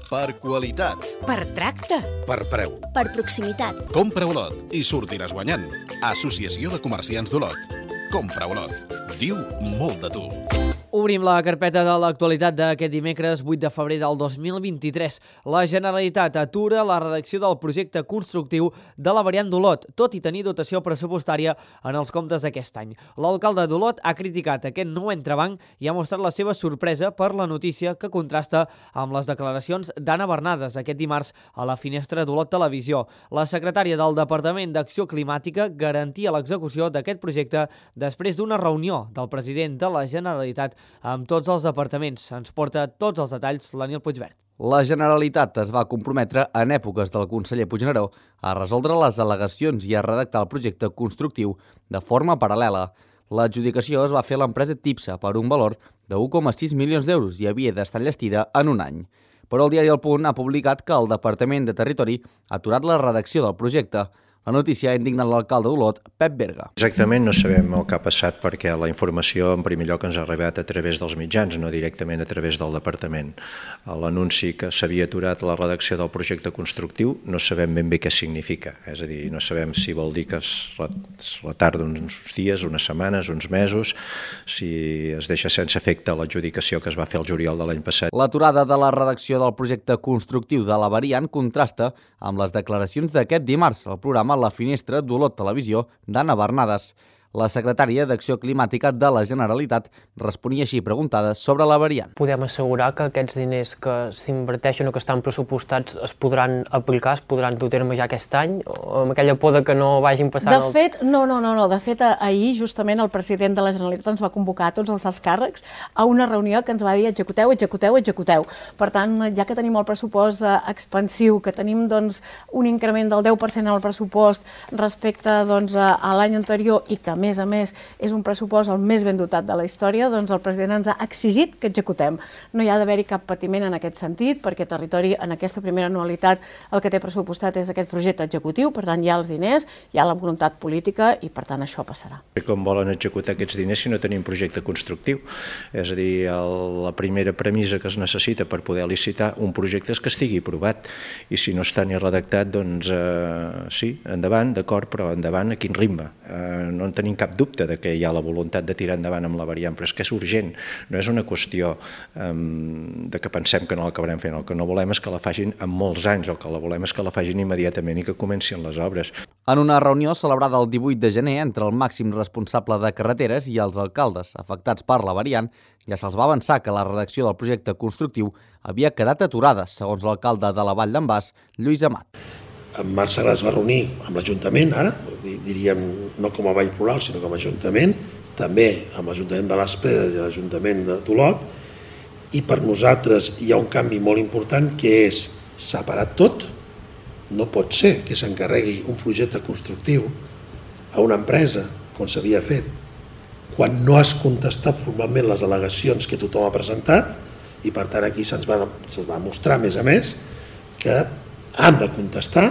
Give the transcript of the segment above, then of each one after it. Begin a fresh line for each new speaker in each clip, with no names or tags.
Per qualitat.
Per tracte.
Per preu.
Per proximitat.
Compra Olot i sortiràs guanyant. Associació de Comerciants d'Olot. Compra Olot. Diu molt de tu.
Obrim la carpeta de l'actualitat d'aquest dimecres 8 de febrer del 2023. La Generalitat atura la redacció del projecte constructiu de la variant d'Olot, tot i tenir dotació pressupostària en els comptes d'aquest any. L'alcalde d'Olot ha criticat aquest nou entrebanc i ha mostrat la seva sorpresa per la notícia que contrasta amb les declaracions d'Anna Bernades aquest dimarts a la finestra d'Olot Televisió. La secretària del Departament d'Acció Climàtica garantia l'execució d'aquest projecte després d'una reunió del president de la Generalitat amb tots els departaments. Ens porta tots els detalls l'Aniel Puigvert.
La Generalitat es va comprometre en èpoques del conseller Puigneró a resoldre les al·legacions i a redactar el projecte constructiu de forma paral·lela. L'adjudicació es va fer a l'empresa Tipsa per un valor de 1,6 milions d'euros i havia d'estar enllestida en un any. Però el diari El Punt ha publicat que el Departament de Territori ha aturat la redacció del projecte. La notícia ha indignat l'alcalde d'Olot, Pep Berga.
Exactament no sabem el que ha passat perquè la informació en primer lloc ens ha arribat a través dels mitjans, no directament a través del departament. L'anunci que s'havia aturat la redacció del projecte constructiu no sabem ben bé què significa, és a dir, no sabem si vol dir que es retarda uns dies, unes setmanes, uns mesos, si es deixa sense efecte l'adjudicació que es va fer el juliol de l'any passat.
L'aturada de la redacció del projecte constructiu de la variant contrasta amb les declaracions d'aquest dimarts al programa La Finestra d'Olot Televisió d'Anna Bernades. La secretària d'Acció Climàtica de la Generalitat responia així preguntades sobre la variant.
Podem assegurar que aquests diners que s'inverteixen o que estan pressupostats es podran aplicar, es podran dur a terme ja aquest any, o amb aquella por que no vagin passant...
De fet, no. De fet, ahir justament el president de la Generalitat ens va convocar a tots els alts càrrecs a una reunió que ens va dir executeu. Per tant, ja que tenim el pressupost expansiu, que tenim un increment del 10% en el pressupost respecte a l'any anterior i que a més, és un pressupost el més ben dotat de la història, doncs el president ens ha exigit que executem. No hi ha d'haver-hi cap patiment en aquest sentit, perquè Territori, en aquesta primera anualitat, el que té pressupostat és aquest projecte executiu, per tant, hi ha els diners, hi ha la voluntat política i, per tant, això passarà.
Com volen executar aquests diners si no tenim projecte constructiu? És a dir, la primera premissa que es necessita per poder licitar un projecte és que estigui aprovat, i si no està ni redactat, doncs sí, endavant, d'acord, però endavant a quin ritme? No en tenim cap dubte de que hi ha la voluntat de tirar endavant amb la variant, però és que és urgent, no és una qüestió de que pensem que no l'acabarem fent. El que no volem és que la facin en molts anys, el que la volem és que la facin immediatament i que comencin les obres.
En una reunió celebrada el 18 de gener entre el màxim responsable de carreteres i els alcaldes afectats per la variant, ja se'ls va avançar que la redacció del projecte constructiu havia quedat aturada, segons l'alcalde de la Vall d'en Bas, Lluís Amat.
En març es va reunir amb l'Ajuntament, ara, diríem no com a Vall Plural, sinó com a Ajuntament, també amb l'Ajuntament de l'Aspre i l'Ajuntament d'Olot, i per nosaltres hi ha un canvi molt important que és separar tot. No pot ser que s'encarregui un projecte constructiu a una empresa, com s'havia fet, quan no has contestat formalment les al·legacions que tothom ha presentat, i per tant aquí se'ns va mostrar, a més, que han de contestar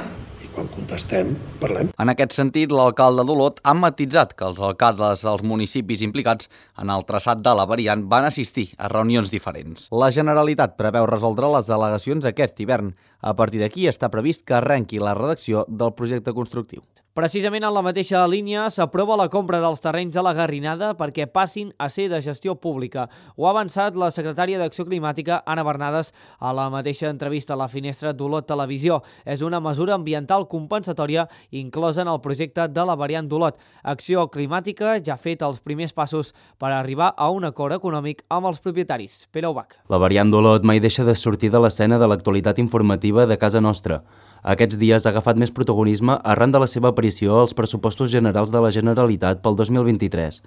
i quan contestem parlem.
En aquest sentit, l'alcalde d'Olot ha matitzat que els alcaldes dels municipis implicats en el traçat de la variant van assistir a reunions diferents. La Generalitat preveu resoldre les al·legacions aquest hivern. A partir d'aquí està previst que arrenqui la redacció del projecte constructiu.
Precisament en la mateixa línia s'aprova la compra dels terrenys de la Garrinada perquè passin a ser de gestió pública. Ho ha avançat la secretària d'Acció Climàtica, Anna Bernades, a la mateixa entrevista a la Finestra d'Olot Televisió. És una mesura ambiental compensatòria inclosa en el projecte de la variant d'Olot. Acció Climàtica ja ha fet els primers passos per arribar a un acord econòmic amb els propietaris. Pere Ubach.
La variant d'Olot mai deixa de sortir de l'escena de l'actualitat informativa de casa nostra. Aquests dies ha agafat més protagonisme arran de la seva aparició als pressupostos generals de la Generalitat pel 2023.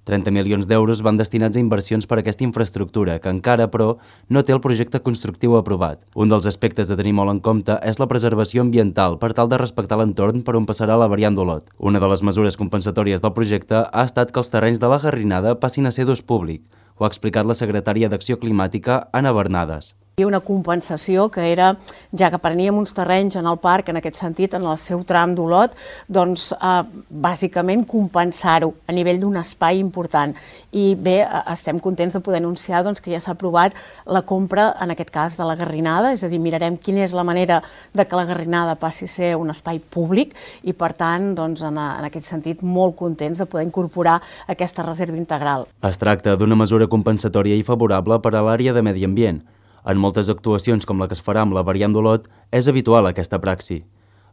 30 milions d'euros van destinats a inversions per a aquesta infraestructura, que encara, però, no té el projecte constructiu aprovat. Un dels aspectes a tenir molt en compte és la preservació ambiental per tal de respectar l'entorn per on passarà la variant d'Olot. Una de les mesures compensatòries del projecte ha estat que els terrenys de la Garrinada passin a ser d'ús públic. Ho ha explicat la secretària d'Acció Climàtica, Anna Bernades.
Hi havia una compensació que era, ja que preníem uns terrenys en el parc, en aquest sentit, en el seu tram d'Olot, doncs bàsicament compensar-ho a nivell d'un espai important. I bé, estem contents de poder anunciar que ja s'ha aprovat la compra, en aquest cas, de la Garrinada, és a dir, mirarem quina és la manera de que la Garrinada passi a ser un espai públic i, per tant, en aquest sentit, molt contents de poder incorporar aquesta reserva integral.
Es tracta d'una mesura compensatòria i favorable per a l'àrea de medi ambient. En moltes actuacions com la que es farà amb la variant d'Olot, és habitual aquesta praxi.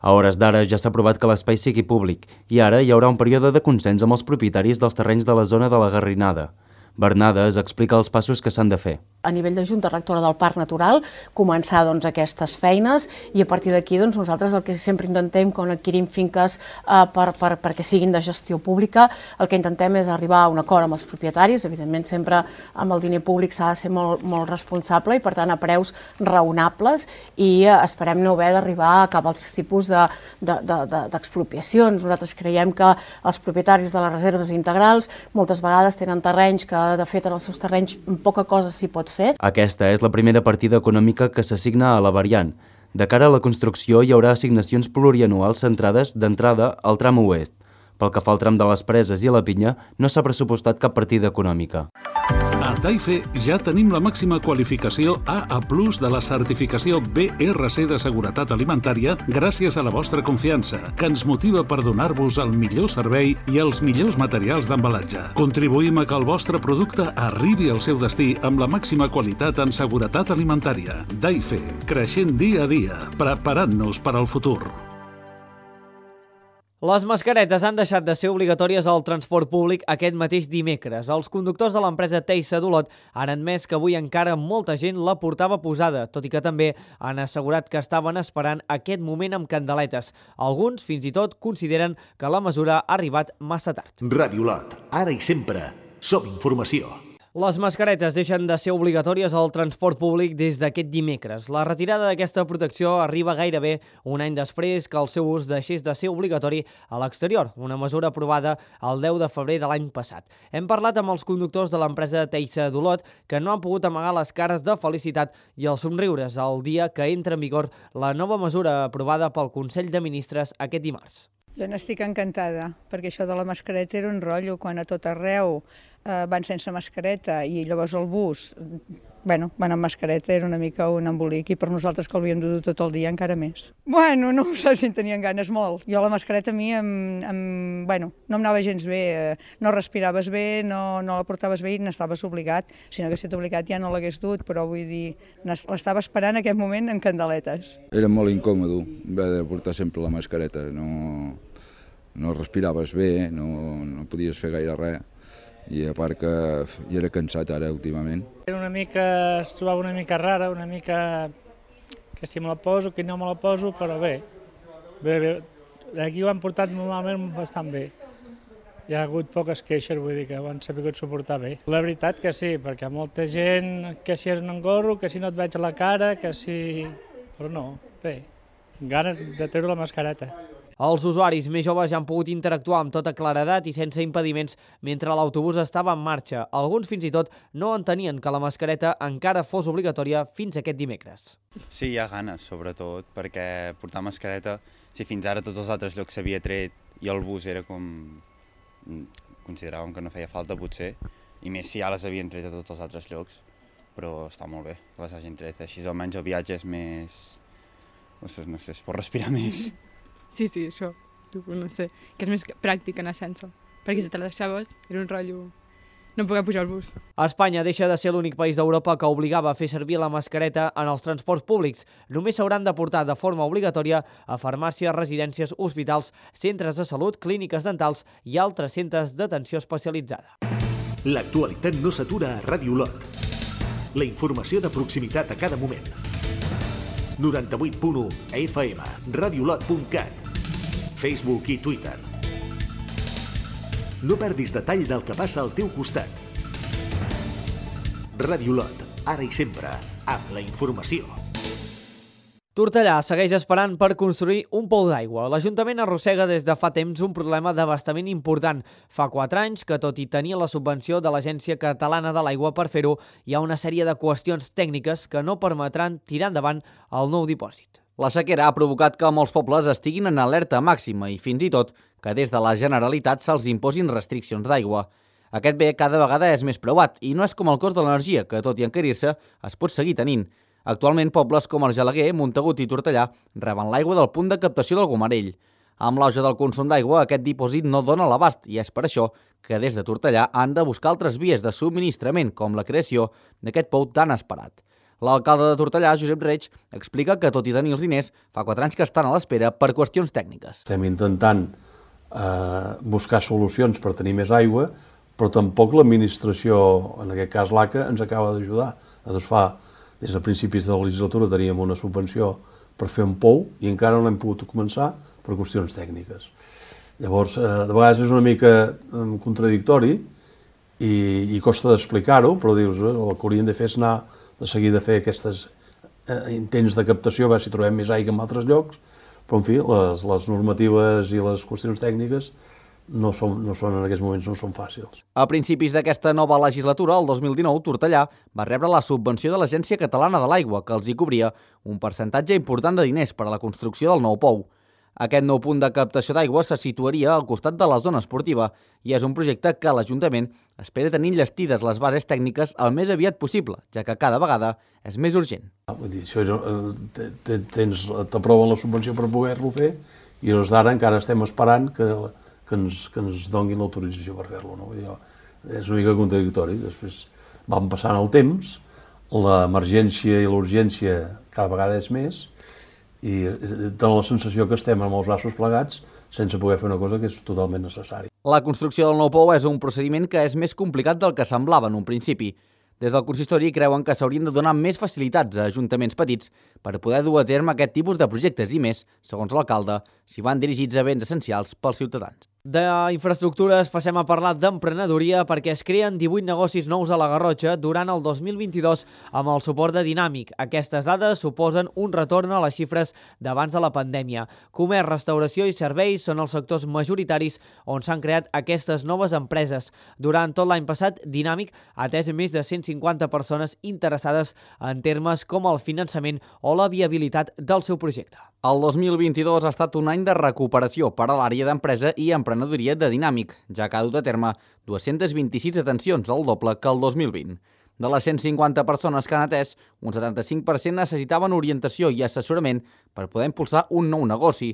A hores d'ara ja s'ha aprovat que l'espai sigui públic i ara hi haurà un període de consens amb els propietaris dels terrenys de la zona de la Garrinada. Bernades explica els passos que s'han de fer.
A nivell de Junta Rectora del Parc Natural, començar aquestes feines i a partir d'aquí nosaltres el que sempre intentem quan adquirim finques perquè siguin de gestió pública, el que intentem és arribar a un acord amb els propietaris, evidentment sempre amb el diner públic s'ha de ser molt responsable i per tant a preus raonables i esperem no haver d'arribar a cap altre tipus d'expropiacions. Nosaltres creiem que els propietaris de les reserves integrals moltes vegades tenen terrenys que de fet en els seus terrenys poca cosa s'hi pot fer.
Aquesta és la primera partida econòmica que s'assigna a la variant. De cara a la construcció hi haurà assignacions plurianuals centrades d'entrada al tram oest. Pel que fa al tram de les Preses i la Pinya, no s'ha pressupostat cap partida econòmica.
A Taife ja tenim la màxima qualificació AA+ de la certificació BRC de seguretat alimentària gràcies a la vostra confiança, que ens motiva per donar-vos el millor servei i els millors materials d'embalatge. Contribuïm a que el vostre producte arribi al seu destí amb la màxima qualitat en seguretat alimentària. Taife, creixent dia a dia, preparant-nos per al futur.
Les mascaretes han deixat de ser obligatòries al transport públic aquest mateix dimecres. Els conductors de l'empresa Teisa d'Olot han admès que avui encara molta gent la portava posada, tot i que també han assegurat que estaven esperant aquest moment amb candeletes. Alguns, fins i tot, consideren que la mesura ha arribat massa tard.
Ràdio Olot, ara i sempre, som informació.
Les mascaretes deixen de ser obligatòries al transport públic des d'aquest dimecres. La retirada d'aquesta protecció arriba gairebé un any després que el seu ús deixés de ser obligatori a l'exterior, una mesura aprovada el 10 de febrer de l'any passat. Hem parlat amb els conductors de l'empresa Teisa d'Olot que no han pogut amagar les cares de felicitat i els somriures el dia que entra en vigor la nova mesura aprovada pel Consell de Ministres aquest dimarts.
Jo n'estic encantada, perquè això de la mascareta era un rotllo, quan a tot arreu van sense mascareta i llavors el bus, van amb mascareta, era una mica un embolic i per nosaltres que l'havíem de dur tot el dia encara més. No ho sé si en tenien ganes molt. Jo la mascareta a mi no em anava gens bé, no respiraves bé, no la portaves bé i n'estaves obligat. Si no hagués estat obligat ja no l'hagués dut, però vull dir, l'estava esperant en aquest moment en candeletes.
Era molt incòmode haver de portar sempre la mascareta, no respiraves bé, no podies fer gaire res. I a part que ja era cansat ara últimament.
Es trobava una mica rara, una mica que si me la poso, que no me la poso, però bé. Aquí ho han portat normalment bastant bé. Hi ha hagut poques queixes, vull dir que ho han sabut suportar bé. La veritat que sí, perquè molta gent que si és un engorro, que si no et veig a la cara, que si... Però no, bé, ganes de treure la mascareta.
Els usuaris més joves ja han pogut interactuar amb tota claredat i sense impediments mentre l'autobús estava en marxa. Alguns fins i tot no entenien que la mascareta encara fos obligatòria fins aquest dimecres.
Sí, hi ha ganes, sobretot, perquè portar mascareta, si fins ara tots els altres llocs s'havia tret i el bus era com... consideràvem que no feia falta, potser, i més si ja les havien tret a tots els altres llocs, però està molt bé que les hagin tret. Així almenys el viatge és més... no sé, es pot respirar més.
Sí, això, no sé, que és més pràctic anar sense, perquè si te la deixaves era un rotllo no poder pujar al bus.
Espanya deixa de ser l'únic país d'Europa que obligava a fer servir la mascareta en els transports públics. Només s'hauran de portar de forma obligatòria a farmàcies, residències, hospitals, centres de salut, clíniques dentals i altres centres d'atenció especialitzada.
L'actualitat no s'atura a Ràdio Olot. La informació de proximitat a cada moment. 98.1 FM, radiolot.cat, Facebook i Twitter. No perdis detall del que passa al teu costat. Ràdio Olot, ara i sempre, amb la informació.
Tortellà segueix esperant per construir un pou d'aigua. L'Ajuntament arrossega des de fa temps un problema d'abastament important. Fa 4 anys que, tot i tenir la subvenció de l'Agència Catalana de l'Aigua per fer-ho, hi ha una sèrie de qüestions tècniques que no permetran tirar endavant el nou dipòsit.
La sequera ha provocat que molts pobles estiguin en alerta màxima i fins i tot que des de la Generalitat se'ls imposin restriccions d'aigua. Aquest bé cada vegada és més preuat i no és com el cost de l'energia, que tot i encarir-se es pot seguir tenint. Actualment, pobles com Argelaguer, Montagut i Tortellà reben l'aigua del punt de captació del Gomarell. Amb l'auge del consum d'aigua, aquest dipòsit no dona l'abast i és per això que des de Tortellà han de buscar altres vies de subministrament, com la creació d'aquest pou tan esperat. L'alcalde de Tortellà, Josep Reig, explica que, tot i tenir els diners, fa 4 anys que estan a l'espera per qüestions tècniques.
Estem intentant buscar solucions per tenir més aigua, però tampoc l'administració, en aquest cas l'ACA, ens acaba d'ajudar. Des de principis de la legislatura teníem una subvenció per fer un pou i encara no l'hem pogut començar per qüestions tècniques. Llavors, de vegades és una mica contradictori i costa d'explicar-ho, però dius, el que hauríem de fer és anar de seguir de fer aquests intents de captació, a veure si trobem més aigua en altres llocs, però en fi, les normatives i les qüestions tècniques no són en aquests moments no són fàcils.
A principis d'aquesta nova legislatura, el 2019, Tortellà va rebre la subvenció de l'Agència Catalana de l'Aigua, que els hi cobria un percentatge important de diners per a la construcció del nou pou. Aquest nou punt de captació d'aigua se situaria al costat de la zona esportiva i és un projecte que l'Ajuntament espera tenir enllestides les bases tècniques el més aviat possible, ja que cada vegada és més urgent.
Vull dir, t'aproven la subvenció per poder-lo fer i des d'ara encara estem esperant que ens donguin l'autorització per fer-lo. No? És una mica contradictori. Després van passant el temps, l'emergència i l'urgència cada vegada és més i dona la sensació que estem amb els braços plegats sense poder fer una cosa que és totalment necessària.
La construcció del nou pou és un procediment que és més complicat del que semblava en un principi. Des del consistori creuen que s'haurien de donar més facilitats a ajuntaments petits per poder dur a terme aquest tipus de projectes i més, segons l'alcalde, si van dirigits a béns essencials pels ciutadans.
D'infraestructures passem a parlar d'emprenedoria perquè es creen 18 negocis nous a la Garrotxa durant el 2022 amb el suport de Dinàmic. Aquestes dades suposen un retorn a les xifres d'abans de la pandèmia. Comerç, restauració i serveis són els sectors majoritaris on s'han creat aquestes noves empreses. Durant tot l'any passat, Dinàmic ha atès més de 150 persones interessades en termes com el finançament o la viabilitat del seu projecte.
El 2022 ha estat un any de recuperació per a l'àrea d'empresa i emprenedoria de Dinàmic, ja que ha dut a terme 226 detencions, el doble que el 2020. De les 150 persones que han atès, un 75% necessitaven orientació i assessorament per poder impulsar un nou negoci.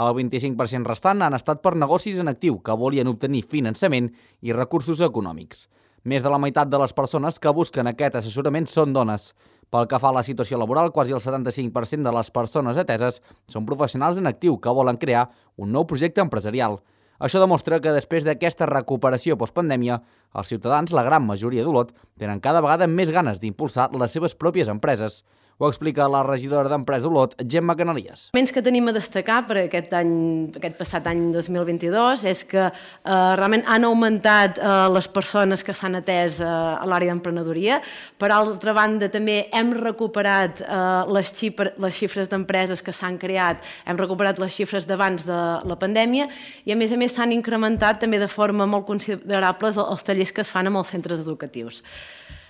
El 25% restant han estat per negocis en actiu que volien obtenir finançament i recursos econòmics. Més de la meitat de les persones que busquen aquest assessorament són dones. Pel que fa a la situació laboral, quasi el 75% de les persones ateses són professionals en actiu que volen crear un nou projecte empresarial. Això demostra que després d'aquesta recuperació postpandèmia, els ciutadans, la gran majoria d'Olot, tenen cada vegada més ganes d'impulsar les seves pròpies empreses. Ho explica la regidora d'Empresa Olot, Gemma Canalies.
Els que tenim a destacar per aquest passat any 2022 és que realment han augmentat les persones que s'han atès a l'àrea d'emprenedoria. Per altra banda, també hem recuperat les xifres d'empreses que s'han creat, hem recuperat les xifres d'abans de la pandèmia i, a més s'han incrementat també de forma molt considerable els tallers que es fan amb els centres educatius.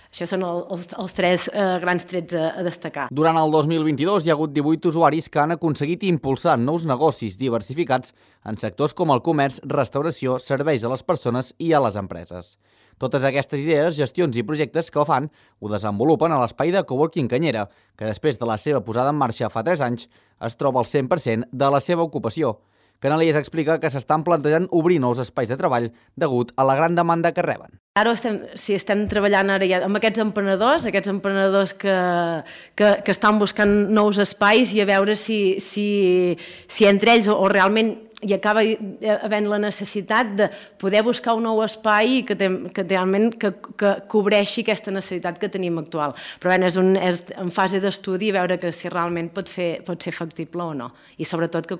Això són els 3 grans trets a destacar.
Durant el 2022 hi ha hagut 18 usuaris que han aconseguit impulsar nous negocis diversificats en sectors com el comerç, restauració, serveis a les persones i a les empreses. Totes aquestes idees, gestions i projectes que fan ho desenvolupen a l'espai de coworking Canyera, que després de la seva posada en marxa fa 3 anys es troba al 100% de la seva ocupació. Canalies explica que s'estan plantejant obrir nous espais de treball degut a la gran demanda que reben.
Ara estem treballant ara ja amb aquests emprenedors que estan buscant nous espais i a veure si entre ells o realment hi acaba havent la necessitat de poder buscar un nou espai que realment cobreixi aquesta necessitat que tenim actual. Però és en fase d'estudi veure si realment pot ser factible o no i sobretot que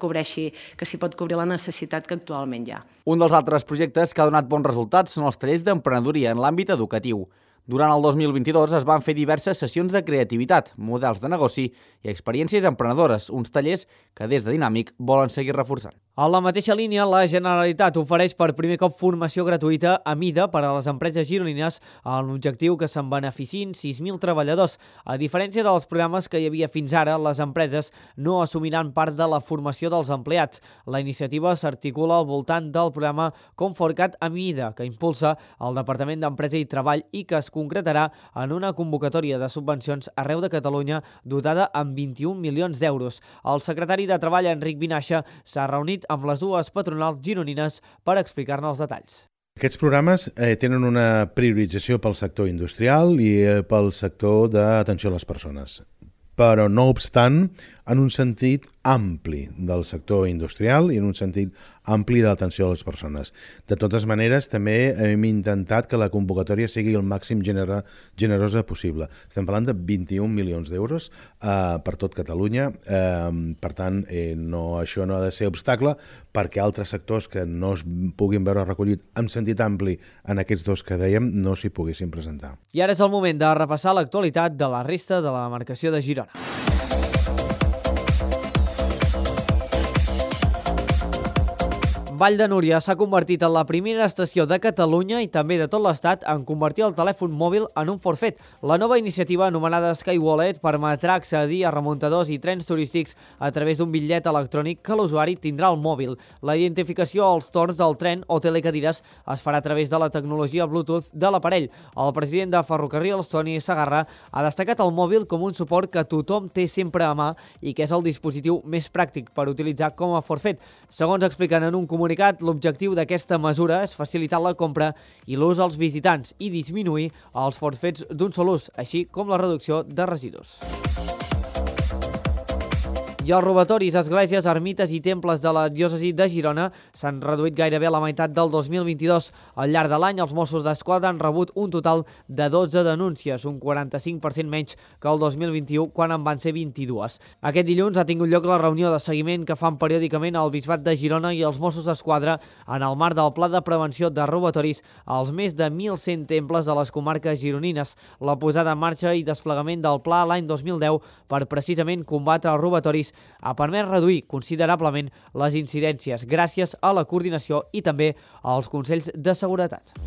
s'hi pot cobrir la necessitat que actualment hi ha.
Un dels altres projectes que ha donat bons resultats són els tallers d'emprenedoria en l'àmbit educatiu. Durant el 2022 es van fer diverses sessions de creativitat, models de negoci i experiències emprenedores, uns tallers que des de Dinàmic volen seguir reforçant.
A la mateixa línia, la Generalitat ofereix per primer cop formació gratuïta a mida per a les empreses gironines amb l'objectiu que se'n beneficin 6.000 treballadors. A diferència dels programes que hi havia fins ara, les empreses no assumiran part de la formació dels empleats. La iniciativa s'articula al voltant del programa Conforcat a mida, que impulsa el Departament d'Empresa i Treball i que es concretarà en una convocatòria de subvencions arreu de Catalunya dotada amb 21 milions d'euros. El secretari de Treball, Enric Vinaixa, s'ha reunit amb les dues patronals gironines per explicar-ne els detalls.
Aquests programes tenen una priorització pel sector industrial i pel sector d'atenció a les persones, però no obstant en un sentit ampli del sector industrial i en un sentit ampli de l'atenció a les persones. De totes maneres, també hem intentat que la convocatòria sigui el màxim generosa possible. Estem parlant de 21 milions d'euros per tot Catalunya. Per tant, això no ha de ser obstacle perquè altres sectors que no es puguin veure recollit en sentit ampli en aquests dos que dèiem no s'hi poguessin presentar.
I ara és el moment de repassar l'actualitat de la resta de la demarcació de Girona. Vall de Núria s'ha convertit en la primera estació de Catalunya i també de tot l'Estat en convertir el telèfon mòbil en un forfet. La nova iniciativa, anomenada SkyWallet, permetrà accedir a remuntadors i trens turístics a través d'un bitllet electrònic que l'usuari tindrà al mòbil. La identificació als torns del tren o telecadires es farà a través de la tecnologia Bluetooth de l'aparell. El president de Ferrocarrils, Toni Segarra, ha destacat el mòbil com un suport que tothom té sempre a mà i que és el dispositiu més pràctic per utilitzar com a forfet. Segons expliquen en un comunicat, l'objectiu d'aquesta mesura és facilitar la compra i l'ús als visitants i disminuir els forfets d'un sol ús, així com la reducció de residus. I els robatoris a esglésies, ermites i temples de la diòcesi de Girona s'han reduït gairebé a la meitat del 2022. Al llarg de l'any, els Mossos d'Esquadra han rebut un total de 12 denúncies, un 45% menys que el 2021, quan en van ser 22. Aquest dilluns ha tingut lloc la reunió de seguiment que fan periòdicament el Bisbat de Girona i els Mossos d'Esquadra en el marc del Pla de Prevenció de Robatoris als més de 1.100 temples de les comarques gironines. La posada en marxa i desplegament del pla l'any 2010 per precisament combatre els robatoris ha permès reduir considerablement les incidències gràcies a la coordinació i també als Consells de Seguretat.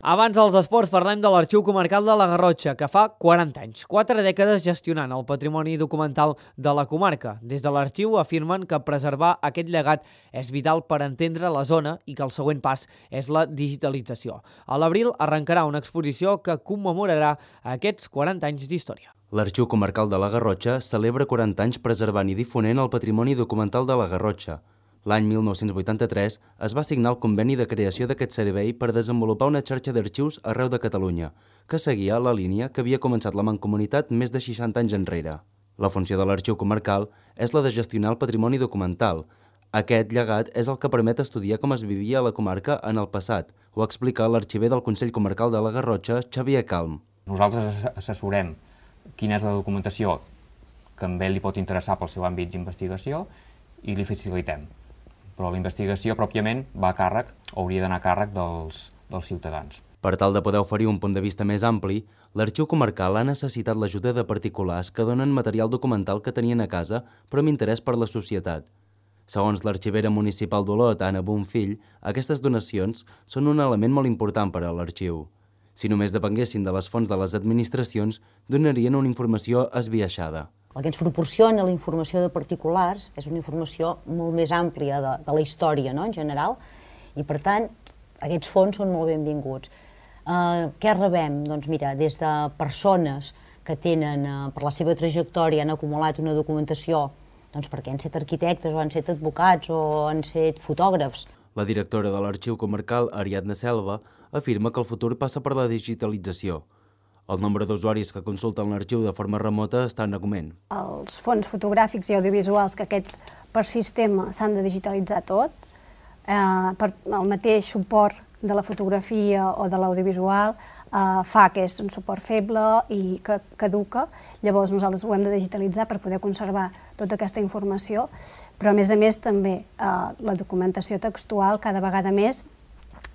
Abans dels esports parlem de l'Arxiu Comarcal de la Garrotxa, que fa 40 anys, 4 dècades gestionant el patrimoni documental de la comarca. Des de l'arxiu afirmen que preservar aquest llegat és vital per entendre la zona i que el següent pas és la digitalització. A l'abril arrencarà una exposició que commemorarà aquests 40 anys d'història.
L'Arxiu Comarcal de la Garrotxa celebra 40 anys preservant i difonent el patrimoni documental de la Garrotxa. L'any 1983 es va signar el conveni de creació d'aquest servei per desenvolupar una xarxa d'arxius arreu de Catalunya, que seguia la línia que havia començat la Mancomunitat més de 60 anys enrere. La funció de l'Arxiu Comarcal és la de gestionar el patrimoni documental. Aquest llegat és el que permet estudiar com es vivia a la comarca en el passat, ho explica l'arxiver del Consell Comarcal de la Garrotxa, Xavier Calm.
Nosaltres assessorem quina és la documentació que a ell li pot interessar pel seu àmbit d'investigació i li facilitem. Però la investigació pròpiament va a càrrec, o hauria d'anar a càrrec dels ciutadans.
Per tal de poder oferir un punt de vista més ampli, l'Arxiu Comarcal ha necessitat l'ajuda de particulars que donen material documental que tenien a casa, però amb interès per la societat. Segons l'arxivera municipal d'Olot, Anna Bonfill, aquestes donacions són un element molt important per a l'arxiu. Si només depenguessin de les fonts de les administracions, donarien una informació esbiaixada.
El que ens proporciona la informació de particulars és una informació molt més àmplia de la història, no?, en general, i per tant aquests fons són molt benvinguts. Què rebem? Doncs mira, des de persones que tenen, per la seva trajectòria, han acumulat una documentació perquè han estat arquitectes o han estat advocats o han estat fotògrafs.
La directora de l'Arxiu Comarcal, Ariadna Selva, afirma que el futur passa per la digitalització. El nombre d'usuaris que consulten l'arxiu de forma remota està en augment.
Els fons fotogràfics i audiovisuals, que aquests per sistema s'han de digitalitzar tot, per el mateix suport de la fotografia o de l'audiovisual fa que és un suport feble i que caduca. Llavors nosaltres ho hem de digitalitzar per poder conservar tota aquesta informació, però a més també la documentació textual cada vegada més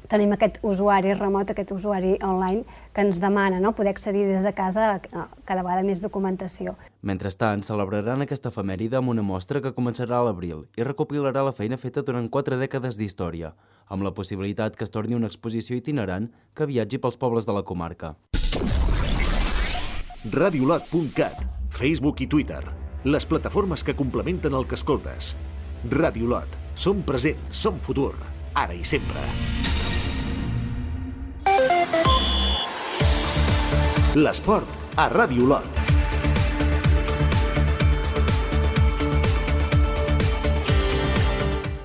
tenim aquest usuari remot, aquest usuari online, que ens demana poder accedir des de casa a cada vegada més documentació.
Mentrestant, celebraran aquesta efemèride amb una mostra que començarà a l'abril i recopilarà la feina feta durant 4 dècades d'història, amb la possibilitat que es torni una exposició itinerant que viatgi pels pobles de la comarca.
Radiolot.cat, Facebook i Twitter, les plataformes que complementen el que escoltes. Radiolot, som present, som futur, ara i sempre. L'esport a Radiolot.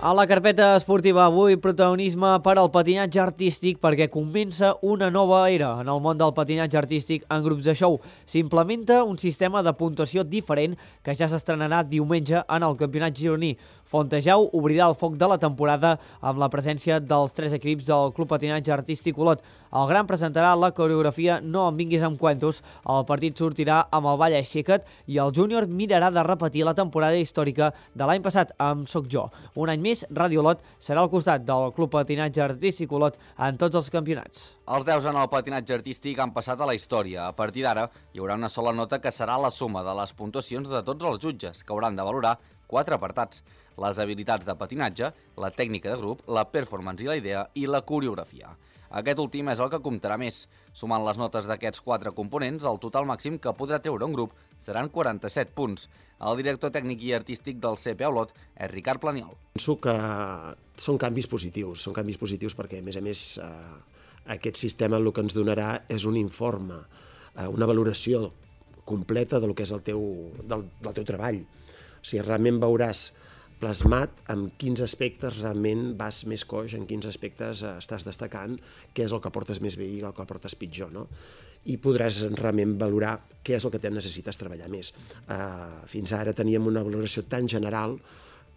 A la carpeta esportiva avui, protagonisme per al patinatge artístic perquè comença una nova era en el món del patinatge artístic en grups de show. S'implementa un sistema de puntuació diferent que ja s'estrenarà diumenge en el campionat gironí. Fontejau obrirà el foc de la temporada amb la presència dels 3 equips del Club Patinatge Artístic Olot. El Gran presentarà la coreografia No em vinguis amb cuentos, el partit sortirà amb el ball Aixeca't i el júnior mirarà de repetir la temporada històrica de l'any passat amb Soc Jo. Un any més, Ràdio Olot serà al costat del Club Patinatge Artístic Olot en tots els campionats.
Els 10 en el patinatge artístic han passat a la història. A partir d'ara, hi haurà una sola nota que serà la suma de les puntuacions de tots els jutges, que hauran de valorar 4 apartats: les habilitats de patinatge, la tècnica de grup, la performance i la idea i la coreografia. Aquest últim és el que comptarà més. Sumant les notes d'aquests 4 components, el total màxim que podrà treure un grup seran 47 punts. El director tècnic i artístic del CPA Olot és Ricard Planiol.
Penso que són canvis positius perquè, a més, aquest sistema el que ens donarà és un informe, una valoració completa del que és del teu treball. O sigui, realment veuràs plasmat en quins aspectes realment vas més coix, en quins aspectes estàs destacant, què és el que portes més bé i el que portes pitjor, no? I podràs realment valorar què és el que necessites treballar més. Fins ara teníem una valoració tan general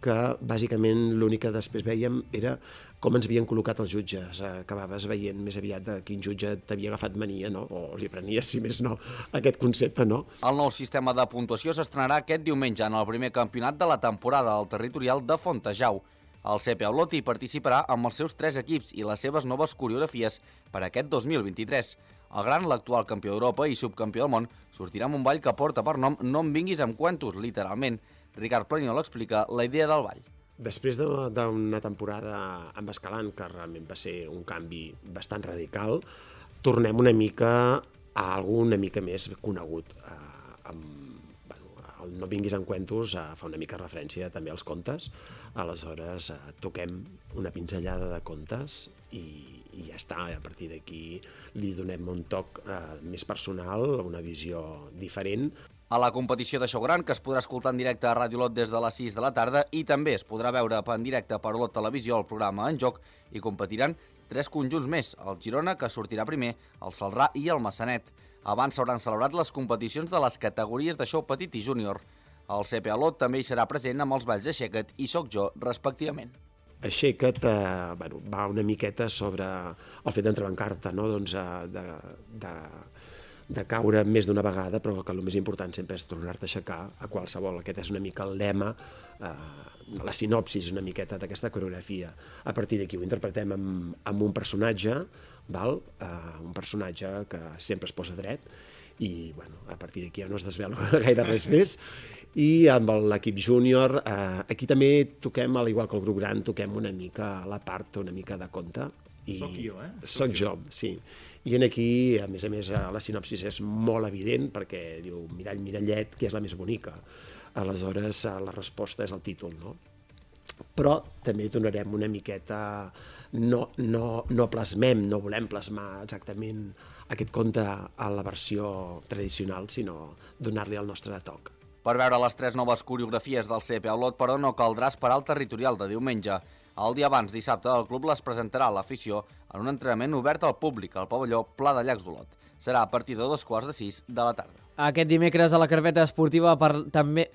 que bàsicament l'únic que després vèiem era com ens havien col·locat els jutges. Acabaves veient més aviat de quin jutge t'havia agafat mania, no? O li prenies, si més no, aquest concepte, no?
El nou sistema de puntuació s'estrenarà aquest diumenge en el primer campionat de la temporada al territorial de Fontejau. El CPA Olot hi participarà amb els seus 3 equips i les seves noves coreografies per aquest 2023. El Gran, l'actual campió d'Europa i subcampió del món, sortirà amb un ball que porta per nom No em vinguis amb cuentos, literalment. Ricard Planiol explica la idea del ball.
Després d'una temporada amb Escalant, que realment va ser un canvi bastant radical, tornem una mica a algú una mica més conegut. El No vinguis amb cuentos fa una mica referència també als contes, aleshores toquem una pinzellada de contes i ja està. A partir d'aquí li donem un toc més personal, una visió diferent.
A la competició de show gran, que es podrà escoltar en directe a Ràdio Olot des de les 6 de la tarda i també es podrà veure en directe per Olot Televisió el programa En Joc, i competiran 3 conjunts més, el Girona, que sortirà primer, el Celrà i el Massanet. Abans s'hauran celebrat les competicions de les categories de show petit i júnior. El CPA Olot també hi serà present amb els balls Aixeca't i Soc Jo, respectivament.
Aixeca't va una miqueta sobre el fet d'entrebancar-te, no? De caure més d'una vegada, però que el més important sempre és tornar-te a aixecar a qualsevol. Aquest és una mica el lema, la sinopsis una miqueta d'aquesta coreografia. A partir d'aquí ho interpretem amb un personatge, un personatge que sempre es posa dret, i a partir d'aquí ja no es desvela gaire res més. I amb l'equip júnior, aquí també toquem, al igual que el grup gran, toquem una mica la part una mica de conte.
Soc jo,
Soc jo, sí. I aquí, a més, la sinopsis és molt evident perquè diu mirall, mirallet, qui és la més bonica? Aleshores, la resposta és el títol, no? Però també donarem una miqueta... No plasmem, no volem plasmar exactament aquest conte a la versió tradicional, sinó donar-li el nostre toc.
Per veure les 3 noves coreografies del CPA Olot, però, no caldrà esperar el territorial de diumenge. El dia abans, dissabte, el club les presentarà a l'afició en un entrenament obert al públic al pavelló Pla de Llacs d'Olot. Serà a partir de 5:45 de la tarda.
Aquest dimecres a la carpeta esportiva també...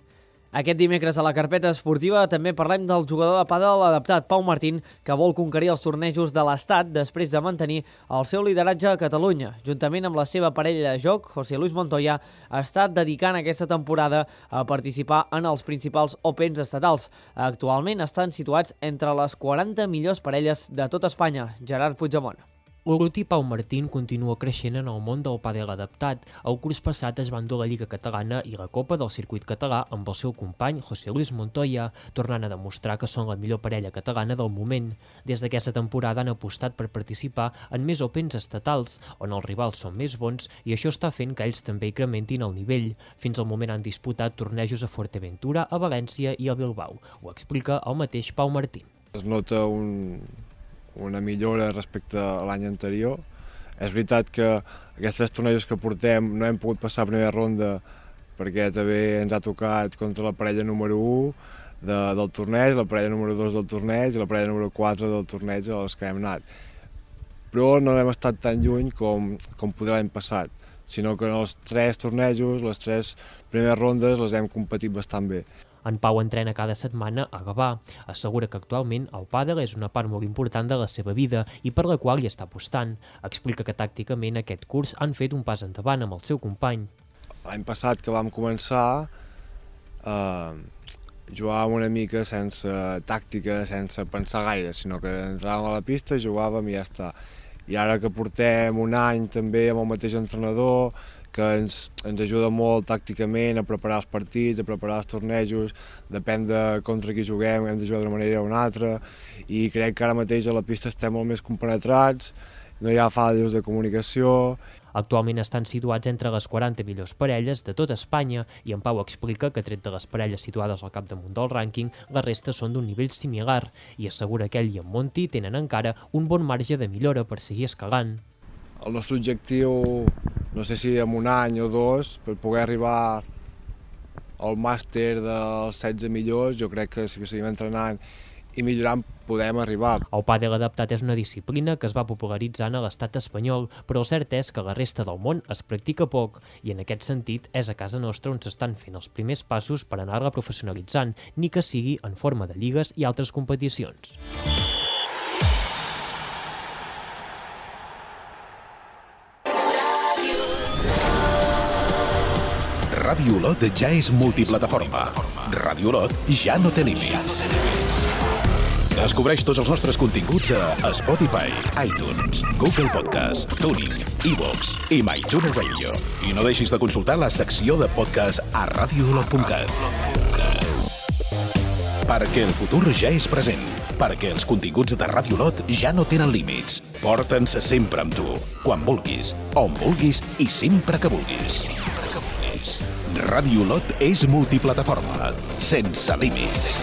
Aquest dimecres a la carpeta esportiva també parlem del jugador de pàdel adaptat Pau Martín, que vol conquerir els tornejos de l'Estat després de mantenir el seu lideratge a Catalunya. Juntament amb la seva parella de joc, José Luis Montoya, està dedicant aquesta temporada a participar en els principals Opens estatals. Actualment estan situats entre les 40 millors parelles de tot Espanya. Gerard Puigdemont.
L'Urruti Pau Martín continua creixent en el món del pàdel adaptat. El curs passat es va endur la Lliga Catalana i la Copa del Circuit Català amb el seu company José Luis Montoya, tornant a demostrar que són la millor parella catalana del moment. Des d'aquesta temporada han apostat per participar en més Opens estatals, on els rivals són més bons, i això està fent que ells també incrementin el nivell. Fins al moment han disputat tornejos a Fuerteventura, a València i a Bilbao. Ho explica el mateix Pau Martín.
Es nota una millora respecte a l'any anterior. És veritat que aquests tornejos que portem no hem pogut passar a primera ronda perquè també ens ha tocat contra la parella número 1 del torneig, la parella número 2 del torneig i la parella número 4 del torneig als que hem anat. Però no hem estat tan lluny com poder l'any passat, sinó que en els 3 tornejos, les 3 primeres rondes les hem competit bastant bé.
En Pau entrena cada setmana a Gavà. Assegura que actualment el pàdel és una part molt important de la seva vida i per la qual hi està apostant. Explica que tàcticament aquest curs han fet un pas endavant amb el seu company.
L'any passat que vam començar jugàvem una mica sense tàctica, sense pensar gaire, sinó que entràvem a la pista, jugàvem i ja està. I ara que portem un any també amb el mateix entrenador, que ens ajuda molt tàcticament a preparar els partits, a preparar els tornejos, depèn de contra qui juguem, hem de jugar d'una manera o una altra, i crec que ara mateix a la pista estem molt més compenetrats, no hi ha fallos de comunicació.
Actualment estan situats entre les 40 millors parelles de tot Espanya i en Pau explica que, tret de les parelles situades al capdamunt del rànquing, la resta són d'un nivell similar i assegura que ell i en Monti tenen encara un bon marge de millora per seguir escalant.
El nostre objectiu, no sé si en un any o 2, per poder arribar al màster dels 16 millors, jo crec que si seguim entrenant i millorant podem arribar.
El pàdel adaptat és una disciplina que es va popularitzant a l'estat espanyol, però el cert és que la resta del món es practica poc i en aquest sentit és a casa nostra on s'estan fent els primers passos per anar-la professionalitzant, ni que sigui en forma de lligues i altres competicions.
Ràdio Olot ja és multiplataforma. Ràdio Olot ja no té límits. Descobreix tots els nostres continguts a Spotify, iTunes, Google Podcast, TuneIn, iVoox i MyTuner Radio. I no deixis de consultar la secció de podcast a radioolot.cat. Perquè el futur ja és present. Perquè els continguts de Ràdio Olot ja no tenen límits. Porta'ns sempre amb tu, quan vulguis, on vulguis i sempre que vulguis. Ràdio Olot és multiplataforma, sense límits.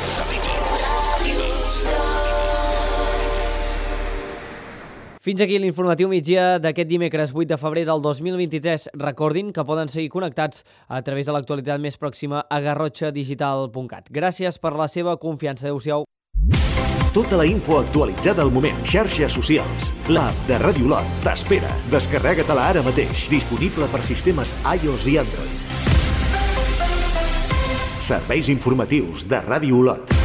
Fins aquí l'informatiu migdia d'aquest dimecres 8 de febrer del 2023. Recordin que poden seguir connectats a través de l'actualitat més pròxima a garrotxadigital.cat. Gràcies per la seva confiança. Adéu-siau.
Tota la info actualitzada al moment. Xarxes socials. L'app de Ràdio Olot t'espera. Descarrega-te-la ara mateix. Disponible per sistemes iOS i Android. Serveis informatius de Ràdio Olot.